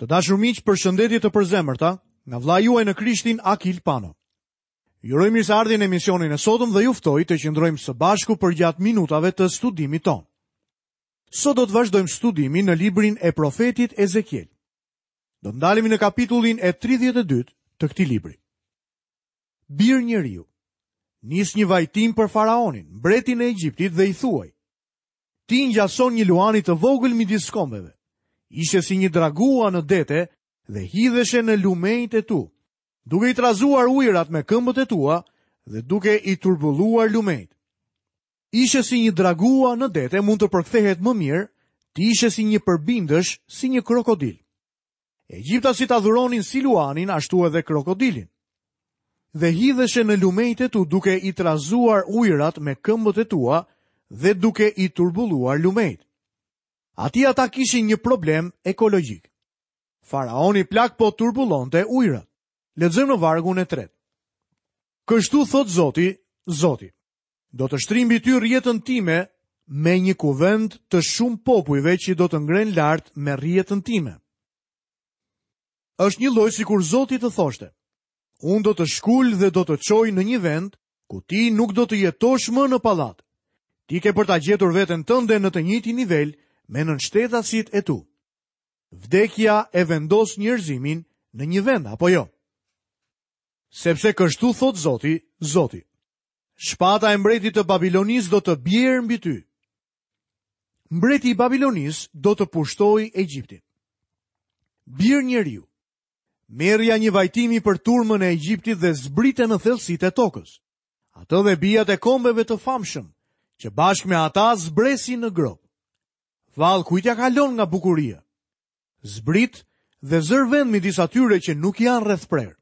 Të dashur miq, përshëndetje të përzemërta nga vëllai juaj në Krishtin Akil Pano. Ju uroj mirëseardhje në emisionin e sotëm dhe ju ftoj të qëndrojmë së bashku përgjatë minutave të studimit tonë. Sot do të vazhdojmë studimin në librin e profetit Ezekiel. Do të ndalemi në kapitullin e 32 të këtij libri. Bir njeriu, nis një vajtim për faraonin, mbretin e Egjiptit dhe i thuaj: Ti i ngjason një luani të vogël midis kombeve. Ishe si një dragua në dete dhe hidheshe në lumenjtë e tu, duke i trazuar ujërat me këmbët e tua dhe duke i turbulluar lumenjtë. Ishe si një dragua në dete mund të përkthehet më mirë, ti ishe si një përbindësh, si një krokodil. Egjiptasit adhuronin si luanin, ashtu edhe krokodilin. Dhe hidheshe në lumenjtë e tu duke i trazuar ujërat me këmbët e tua dhe duke i turbulluar lumenjtë. Aty ata kishin një problem ekologjik. Faraoni plak po turbullonte ujërat. Lexojmë në vargun e tretë. Kështu thotë Zoti, Zoti. Do të shtrij mbi ty rrjetën time me një kuvend të shumë popujve që do të ngrenë lart me rrjetën time. Është njëlloj sikur Zoti të thoshte, unë do të shkul dhe do të çoj në një vend ku ti nuk do të jetosh më në pallat. Ti ke për ta gjetur veten tënde në të njëjtin nivel me nënshtetasit e tu. Vdekja e vendos njerëzimin në një vend, apo jo? Sepse kështu thotë Zoti, Zoti. Shpata e mbretit të Babilonisë do të bjerë mbi ty. Mbreti i Babilonisë do të pushtojë Egjiptin. Bir njeriu, merrja një vajtimi për turmën e Egjiptit dhe zbrite në thellësitë e tokës. Atë dhe bijat e kombeve të famshëm, që bashkë me ata zbresin në gropë. Vallë, kujt ia kalon nga bukuria? Zbrit dhe zër vend midis atyre që nuk janë rrethprerë.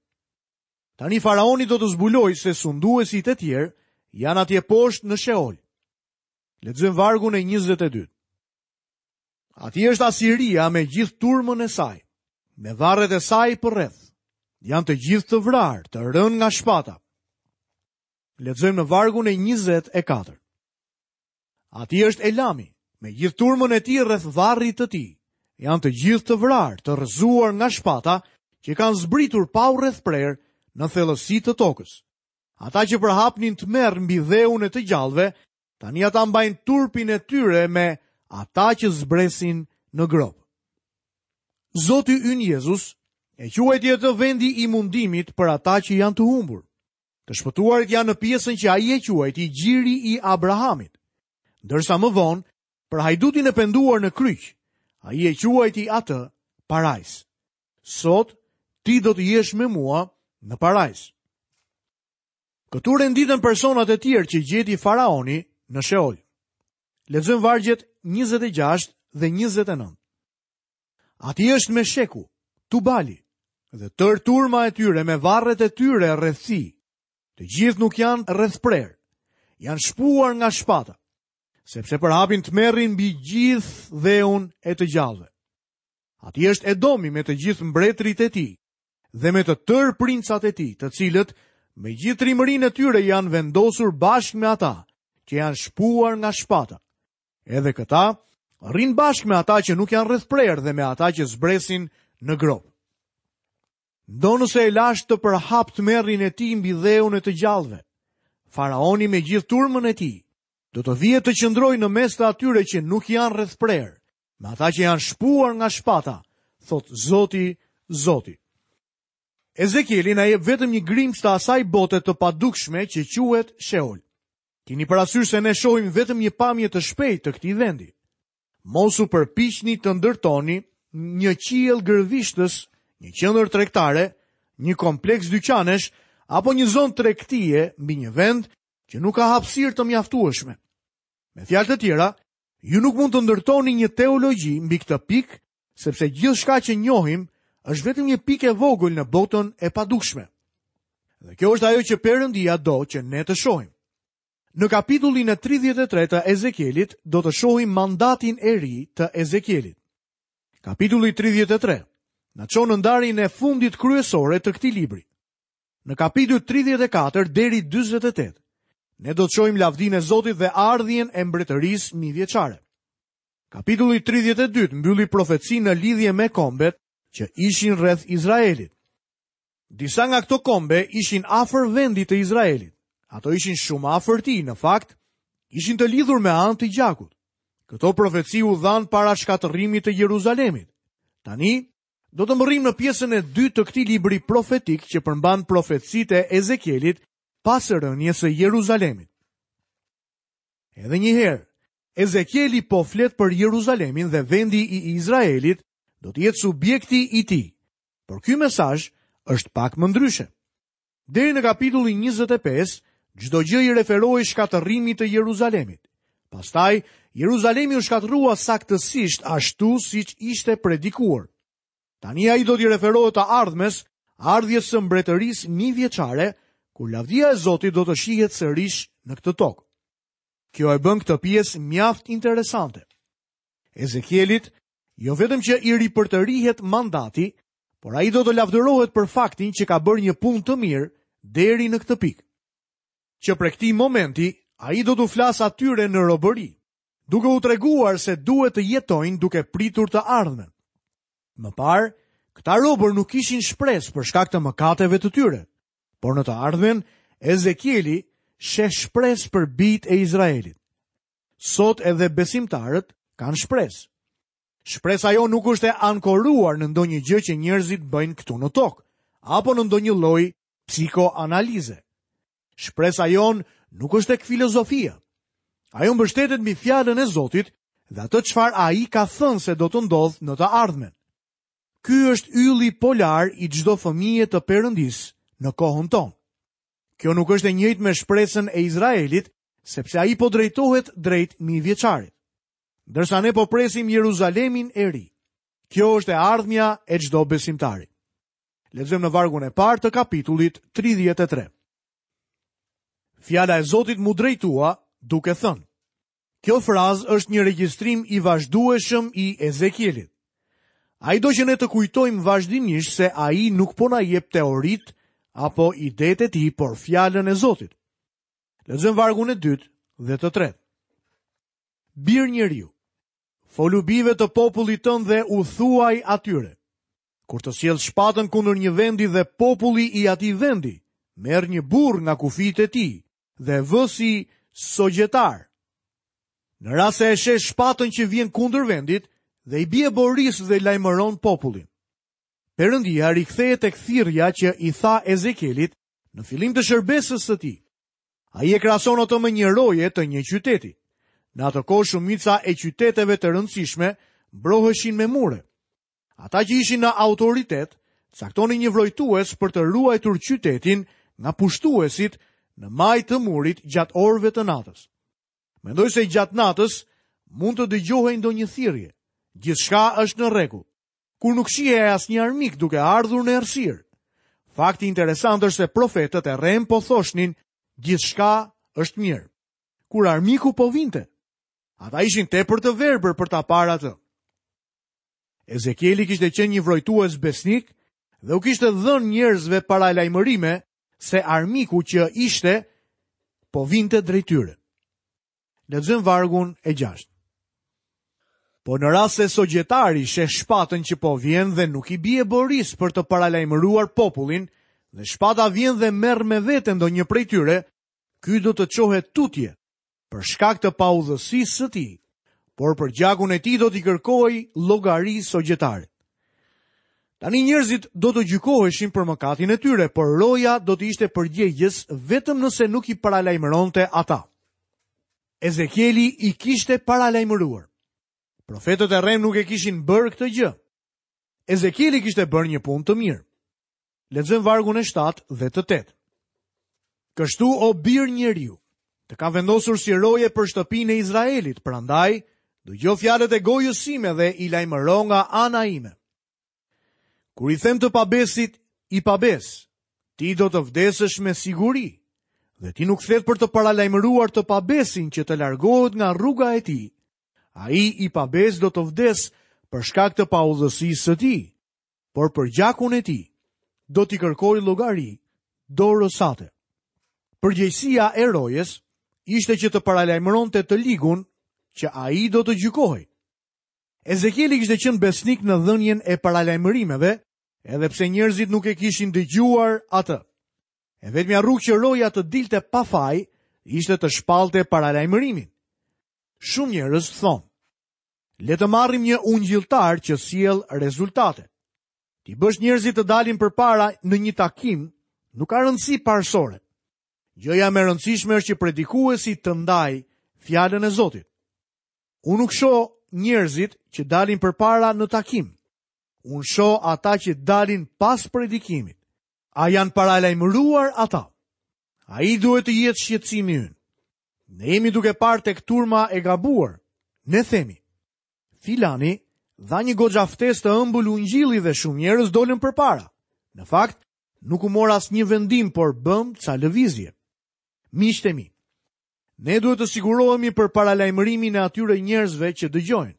Tani faraoni do të zbulojë se sunduesit e tjerë janë atje poshtë në Sheol. Lexojmë vargun e 22. Atje është Asiria me gjithë turmën e saj, me varret e saj përreth. Janë të gjithë të vrarë, të rënë nga shpata. Lexojmë në vargun e 24. Atje është Elami, me gjithë turmën e tij rreth varrit të tij. Janë të gjithë të vrarë, të rrëzuar nga shpata, që kanë zbritur pa u rrethprerë në thellësi të tokës. Ata që përhapnin tmerr mbi dheun e të gjallëve, tani ata mbajnë turpin e tyre me ata që zbresin në gropë. Zoti ynë Jezus e quajti atë vendi i mundimit për ata që janë të humbur. Të shpëtuarit janë në pjesën që ai e quajti gjiri i Abrahamit. Ndërsa më vonë, për hajdutin e penduar në kryq, ai e quajti atë parajsë. Sot, ti do të jesh me mua në parajsë. Këtu renditen personat e tjerë që gjeti faraoni në Sheol. Lexojmë vargjet 26 dhe 29. Atje është Mesheku, Tubali, dhe tërë turma e tyre me varret e tyre rreth tij. Të gjithë nuk janë rrethprerë, janë shpuar nga shpata, sepse përhapin tmerrin mbi gjithë dheun e të gjallëve. Atje është Edomi me të gjithë mbretërit e tij dhe me të tërë princat e tij, të cilët me gjithë trimërinë e tyre janë vendosur bashkë me ata që janë shpuar nga shpata. Edhe këta rrinë bashkë me ata që nuk janë rrethprerë dhe me ata që zbresin në gropë. Ndonëse e lashë të përhapë tmerrin e tij mbi dheun e të gjallëve, faraoni me gjithë turmën e tij do të vijë të qëndrojë në mes të atyre që nuk janë rrethprerë, me ata që janë shpuar nga shpata, thotë Zoti, Zoti. Ezekieli na jep vetëm një grimcë të asaj bote të padukshme që quhet Sheol. Kini parasysh se ne shohim vetëm një pamje të shpejtë të këtij vendi. Mos u përpiqni të ndërtoni një qiell gërvishtës, një qendër tregtare, një kompleks dyqanesh apo një zonë tregtie mbi një vend që nuk ka hapësirë të mjaftueshme. Me fjalë të tjera, ju nuk mund të ndërtoni një teologji mbi këtë pikë, sepse gjithçka që njohim është vetëm një pikë e vogël në botën e padukshme. Dhe kjo është ajo që Perëndia do që ne të shohim. Në kapitullin e 33 të Ezekielit do të shohim mandatin e ri të Ezekielit. Kapitulli 33 na çon në ndarjen e fundit kryesore të këtij libri. Në kapitujt 34 deri 48, ne do të shohim lavdinë e Zotit dhe ardhjen e mbretërisë mijëvjeçare. Kapitulli 32 mbylli profecinë në lidhje me kombet. që ishin rreth Izraelit. Disa nga këto kombe ishin afër vendit të Izraelit. Ato ishin shumë afër tij, në fakt, ishin të lidhur me anë të gjakut. Këto profeci u dhanë para shkatërrimit të Jeruzalemit. Tani, do të mbërrijmë në pjesën e dytë të këtij libri profetik që përmban profecitë e Ezekielit pas rënies së Jeruzalemit. Edhe një herë, Ezekieli po flet për Jeruzalemin dhe vendi i Izraelit do të jetë subjekti i tij. Por ky mesazh është pak më ndryshe. Deri në kapitullin 25, çdo gjë i referohej shkatërrimit të Jeruzalemit. Pastaj, Jeruzalemi u shkatërrua saktësisht ashtu siç ishte predikuar. Tani ai do t'i referohet të ardhmes, ardhjes së mbretërisë mijëvjeçare, kur lavdia e Zotit do të shihet sërish në këtë tokë. Kjo e bën këtë pjesë mjaft interesante. Ezekielit jo vetëm që i ripërtërihet mandati, por ai do të lavdërohet për faktin që ka bërë një punë të mirë deri në këtë pikë. Që prej këtij momenti, ai do t'u flasë atyre në robëri, duke u treguar se duhet të jetojnë duke pritur të ardhmen. Më parë, këta robër nuk kishin shpresë për shkak të mëkateve të tyre, por në të ardhmen, Ezekieli sheh shpresë për bijtë e Izraelit. Sot edhe besimtarët kanë shpresë. Shpresa jonë nuk është e ankoruar në ndonjë gjë që njerëzit bëjnë këtu në tokë, apo në ndonjë lloj psikoanalize. Shpresa jonë nuk është tek filozofia. Ajo mbështetet mbi fjalën e Zotit dhe atë çfarë ai ka thënë se do të ndodhë në të ardhmen. Ky është ylli polar i çdo fëmije të Perëndisë në kohën tonë. Kjo nuk është e njëjtë me shpresën e Izraelit, sepse ai po drejtohet drejt mijëvjeçarit. Ndërsa ne po presim Jeruzalemin e ri. Kjo është e ardhmja e çdo besimtari. Lexojmë në vargun e parë të kapitullit 33. Fjala e Zotit m'u drejtua duke thënë: Kjo frazë është një regjistrim i vazhdueshëm i Ezekielit. Ai do që ne të kujtojmë vazhdimisht se ai nuk po na jep teoritë apo idetë e tij, por fjalën e Zotit. Lexojmë vargun e dytë dhe të tretë. Bir njeriu, folu bijve të popullit tënd dhe u thuaj atyre. Kur të sjell shpatën kundër një vendi dhe populli i atij vendi, merr një burrë nga kufijtë e tij dhe e vë si sogjetar. Në rast se e sheh shpatën që vjen kundër vendit dhe i bie borisë dhe lajmëron popullin. Perëndia rikthehet tek thirrja që i tha Ezekielit në fillim të shërbesës së tij. Ai e krahason atë me një roje të një qyteti. Në atë kohë shumica e qyteteve të rëndësishme mbroheshin me mure. Ata që ishin në autoritet caktonin një vrojtues për të ruajtur qytetin nga pushtuesit në majë të murit gjatë orëve të natës. Mendoj se gjatë natës mund të dëgjohej ndonjë thirrje. Gjithçka është në rregull. Kur nuk shihej asnjë armik duke ardhur në errësirë. Fakti interesant është se profetët e rremë po thoshnin gjithçka është mirë. Kur armiku po vinte, ata ishin tepër të verbër për ta parë atë. Ezekieli kishte qenë një vrojtues besnik dhe u kishte dhënë njerëzve paralajmërime se armiku që ishte po vinte drejt tyre. Lexojmë vargun e 6. Po në rast se sogjetari sheh shpatën që po vjen dhe nuk i bie borisë për të paralajmëruar popullin, dhe shpata vjen dhe merr me vete ndonjë prej tyre, ky do të çohet tutje, për shkak të paudhësisë së tij, por për gjakun e tij do t'i kërkohej llogari sogjetarit. Tani njerëzit do të gjykoheshin për mëkatin e tyre, por roja do të ishte përgjegjës vetëm nëse nuk i paralajmëronte ata. Ezekieli i kishte paralajmëruar. Profetët e rremë nuk e kishin bërë këtë gjë. Ezekieli kishte bërë një punë të mirë. Lexojmë vargun e 7 dhe të 8. Kështu o bir njeriu, të kam vendosur si roje për shtëpinë e Izraelit, prandaj dëgjo fjalët e gojës sime dhe i lajmëro nga ana ime. Kur i them të pabesit, i pabesë, ti do të vdesësh me siguri, dhe ti nuk flet për të paralajmëruar të pabesin që të largohet nga rruga e tij, ai i pabesë do të vdesë për shkak të paudhësisë së tij, por për gjakun e tij do t'i kërkoj llogari dorës sate. Përgjegjësia e rojes ishte që të paralajmëronte të ligun që ai do të gjykohej. Ezekieli kishte qenë besnik në dhënien e paralajmërimeve, edhe pse njerëzit nuk e kishin dëgjuar atë. E vetmja rrugë që roja të dilte pa faj ishte të shpallte paralajmërimin. Shumë njerëz thonë, le të marrim një ungjilltar që sjell rezultate. T'i bësh njerëzit të dalin përpara në një takim nuk ka rëndësi parësore. Gjëja më e rëndësishme është që predikuesi të ndajë fjalën e Zotit. Unë nuk shoh njerëzit që dalin përpara në takim. Unë shoh ata që dalin pas predikimit. A janë paralajmëruar ata? Ai duhet të jetë shqetësimi ynë. Ne jemi duke parë tek turma e gabuar. Ne themi, filani dha një goxha ftesë të ëmbël ungjilli dhe shumë njerëz dolën përpara. Në fakt, nuk u mor asnjë vendim, por bëmë ca lëvizje. Miqtë e mi, ne duhet të sigurohemi për paralajmërimin e atyre njerëzve që dëgjojnë.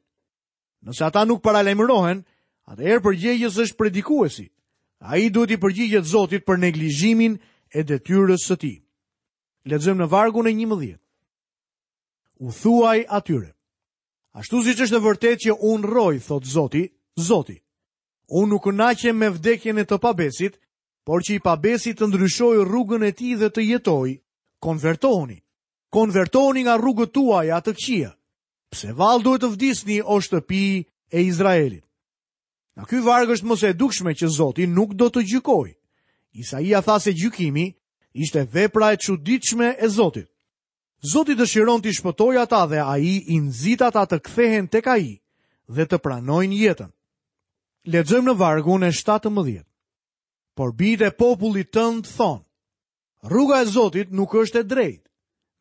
Nëse ata nuk paralajmërohen, atëherë përgjegjës është predikuesi. Ai duhet t'i përgjigjet Zotit për neglizhimin e detyrës së tij. Lexojmë në vargun e 11. U thuaj atyre. Ashtu siç është e vërtetë që unë rroj, thotë Zoti, Zoti. Unë nuk kënaqem me vdekjen e të pabesit, por që i pabesi të ndryshojë rrugën e tij dhe të jetojë, konvertohuni. Konvertohuni nga rrugët tuaja të këqija. Pse vallë duhet të vdisni o shtëpi e Izraelit? Nga ky varg është më se e dukshme që Zoti nuk do të gjykojë. Isaia tha se gjykimi ishte vepra e çuditshme e Zotit. Zoti dëshiron t'i shpëtojë ata dhe ai i nxit ata të kthehen tek ai dhe të pranojnë jetën. Lexojmë në vargun e 17. Por bijtë e popullit tënd thonë, Rruga e Zotit nuk është e drejtë,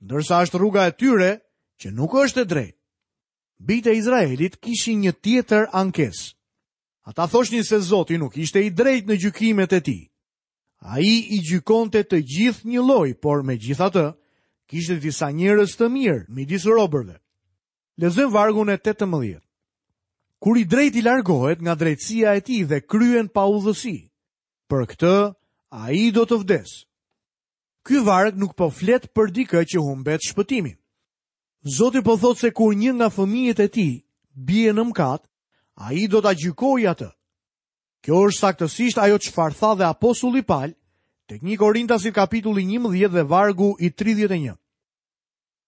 ndërsa është rruga e tyre që nuk është e drejtë. Bijtë e Izraelit kishin një tjetër ankesë. Ata thoshnin se Zoti nuk ishte i drejtë në gjykimet e tij. Ai i gjykonte të gjithë njëlloj, por megjithatë, kishte disa njerëz të mirë midis robërve. Lexojmë vargun e 18. Kur i drejti largohet nga drejtësia e tij dhe kryen paudhësi, Për këtë, ai do të vdesë. Ky varg nuk po flet për dikë që humbet shpëtimin. Zoti po thotë se kur një nga fëmijët e tij bie në mëkat, ai do ta gjykojë atë. Kjo është saktësisht ajo çfarë tha dhe apostulli Pal tek 1 Korintasit kapitulli 11 dhe vargu i 31.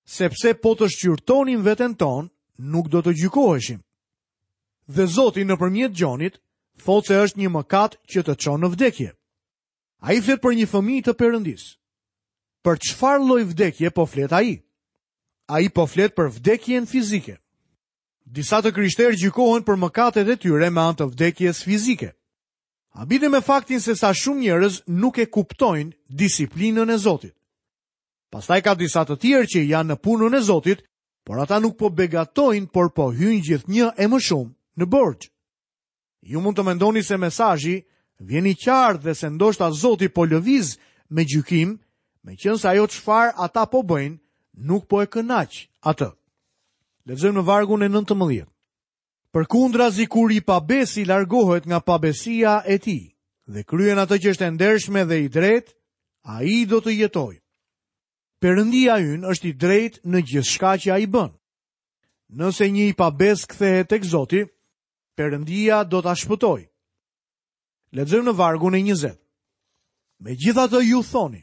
Sepse po të shqyrtonim veten tonë, nuk do të gjykoheshim. Dhe Zoti nëpërmjet Gjonit thotë se është një mëkat që të çon në vdekje. Ai flet për një fëmijë të Perëndisë. Për çfarë lloj vdekje po flet ai? Ai po flet për vdekjen fizike. Disa të krishterë gjykohen për mëkatet e tyre me anë të vdekjes fizike. Habitem me faktin se sa shumë njerëz nuk e kuptojnë disiplinën e Zotit. Pastaj ka disa të tjerë që janë në punën e Zotit, por ata nuk po begatojnë, por po hyjnë gjithnjë e më shumë në borxh. Ju mund të mendoni se mesazhi vjen i qartë dhe se ndoshta Zoti po lëviz me gjykim, meqenëse ajo çfarë ata po bëjnë nuk po e kënaq atë. Lexojmë në vargun e 19. Përkundrazi kur i pabesi largohet nga pabesia e tij dhe kryen atë që është e ndershme dhe i drejtë, ai do të jetojë. Perëndia ynë është i drejtë në gjithçka që ai bën. Nëse një i pabesë kthehet tek Zoti, Perëndia do ta shpëtojë. Lexojmë në vargun e 20. Megjithatë ju thoni,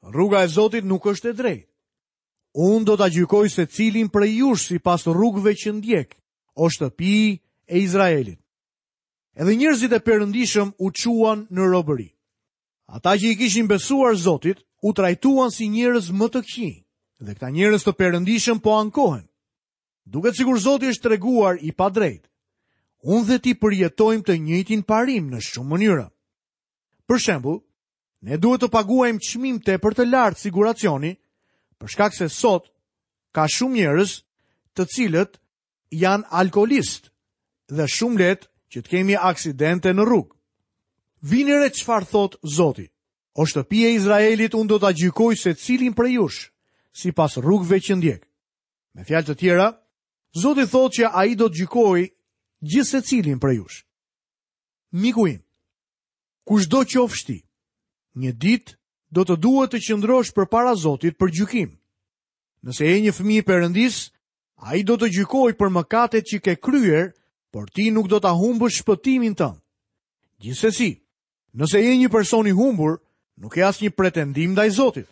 rruga e Zotit nuk është e drejtë. Unë do ta gjykoj secilin prej jush sipas rrugëve që ndjek, o shtëpi e Izraelit. Edhe njerëzit e perëndishëm u çuan në robëri. Ata që i kishin besuar Zotit, u trajtuan si njerëz më të këqij, dhe këta njerëz të perëndishëm po ankohen. Duket sikur Zoti është treguar i padrejtë. Unë dhe ti përjetojmë të njëjtin parim në shumë mënyra. Për shembull, Ne duhet të paguajmë çmim tepër të lartë siguracioni, për shkak se sot ka shumë njerëz të cilët janë alkoolistë dhe shumë lehtë që të kemi aksidente në rrugë. Vini re çfarë thotë Zoti. O shtëpi e Izraelit, unë do ta gjykoj secilin prej jush, sipas rrugëve që ndjek. Me fjalë të tjera, Zoti thotë që ai do të gjykojë gjithsecilin prej jush. Miku im, Kushdo qofsh ti, një ditë do të duhet të qëndrosh përpara Zotit për gjykim. Nëse je një fëmijë i Perëndisë, ai do të gjykojë për mëkatet që ke kryer. Por ti nuk do ta humbësh shpëtimin tënd. Gjithsesi, nëse je një person i humbur, nuk ke asnjë pretendim ndaj Zotit.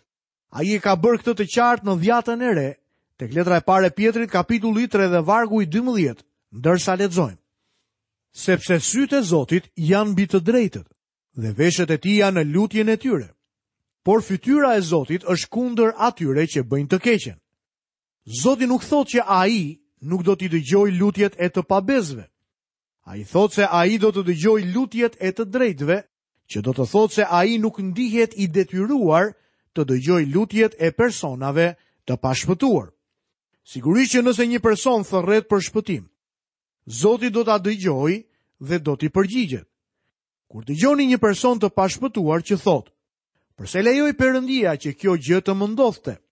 Ai e ka bërë këtë të qartë në Dhjatën e Re, tek letra e parë e Pjetrit kapitulli 3 dhe vargu i 12, ndërsa lexojmë. Sepse sytë e Zotit janë mbi të drejtët dhe veshët e tij janë në lutjen e tyre. Por fytyra e Zotit është kundër atyre që bëjnë të keqen. Zoti nuk thotë që ai nuk do t'i dëgjojë lutjet e të pabesëve. Ai thotë se ai do të dëgjojë lutjet e të drejtëve, që do të thotë se ai nuk ndihet i detyruar të dëgjojë lutjet e personave të pashpëtuar. Sigurisht që nëse një person thërret për shpëtim, Zoti do ta dëgjojë dhe do t'i përgjigjet. Kur dëgjoni një person të pashpëtuar që thotë, "Përse lejoi Perëndia që kjo gjë të më ndodhte?"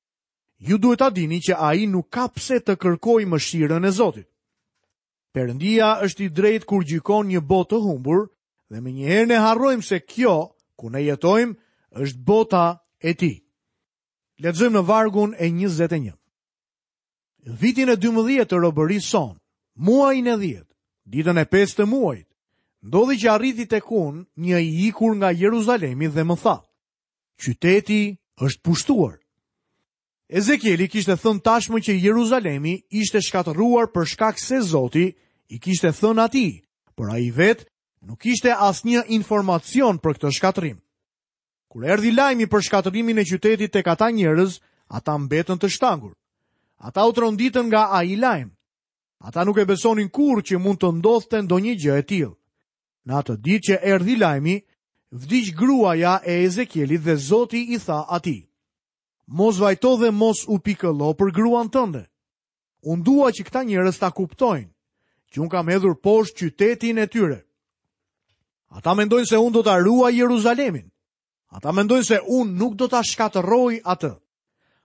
Ju duhet ta dini që ai nuk ka pse të kërkojë mëshirën e Zotit. Perëndia është i drejtë kur gjykon një botë të humbur dhe menjëherë ne harrojmë se kjo ku ne jetojmë është bota e tij. Lexojmë në vargun e 21. Vitin e 12 të robërisë sonë, muajin e 10, ditën e 5 të muajit, ndodhi që arriti tek unë një i ikur nga Jeruzalemi dhe më tha: Qyteti është pushtuar. Ezekieli kishte thënë tashmë që Jeruzalemi ishte shkatërruar për shkak se Zoti i kishte thënë atij, por ai vetë nuk kishte asnjë informacion për këtë shkatërrim. Kur erdhi lajmi për shkatërrimin e qytetit tek ata njerëz, ata mbetën të shtangur. Ata u tronditën nga ai lajm. Ata nuk e besonin kurrë që mund të ndodhte ndonjë gjë e tillë. Në atë ditë që erdhi lajmi, vdiq gruaja e Ezekielit dhe Zoti i tha atij: Mos vajto dhe mos u pikëllo për gruan tënde. Unë dua që këta njerëz ta kuptojnë, që unë kam hedhur poshtë qytetin e tyre. Ata mendojnë se unë do ta ruaj Jeruzalemin. Ata mendojnë se unë nuk do ta shkatërroj atë.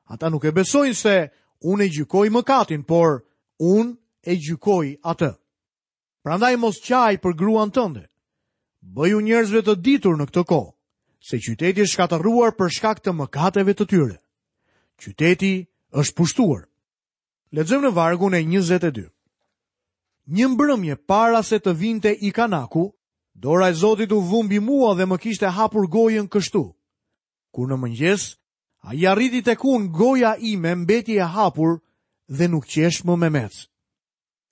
Ata nuk e besojnë se unë e gjykoj mëkatin, por unë e gjykoj atë. Prandaj mos qaj për gruan tënde. Bëju njerëzve të ditur në këtë kohë, se qyteti është shkatërruar për shkak të mëkateve të tyre. Qyteti është pushtuar. Lexojmë në vargun e 22. Një mbrëmje para se të vinte ikanaku, dora e Zotit u vu mbi mua dhe më kishte hapur gojën kështu. Kur në mëngjes, ai arriti tek unë, goja ime mbeti e hapur dhe nuk qeshë më memec.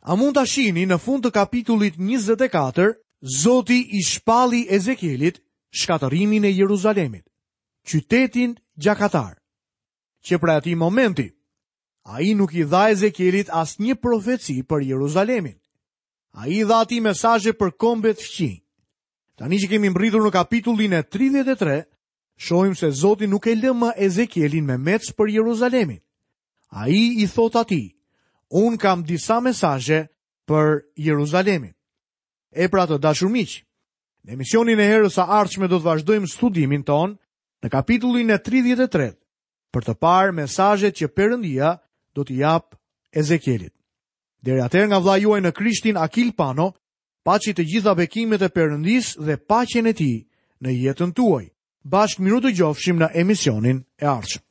A mund ta shihni në fund të kapitullit 24, Zoti i shpalli Ezekielit shkatërrimin e Jeruzalemit, qytetin gjakatar. Që prej atij momenti, ai nuk i dha Ezekielit asnjë profeci për Jeruzalemin. Ai i dha atij mesazhe për kombet fqinj. Tani që kemi mbërritur në kapitullin e 33, shohim se Zoti nuk e lë më Ezekielin memec për Jeruzalemin. Ai i thotë atij, unë kam disa mesazhe për Jeruzalemin. E pra të dashur miq, në emisionin e herës së ardhshme do të vazhdojmë studimin tonë në kapitullin e 33 për të parë mesazhet që Perëndia do t'i japë Ezekielit. Deri atëherë nga vëllai juaj në Krishtin Akil Pano, paçi të gjitha bekimet e Perëndisë dhe paqen e tij në jetën tuaj. Bashkë mirudëgjofshim në emisionin e ardhshëm.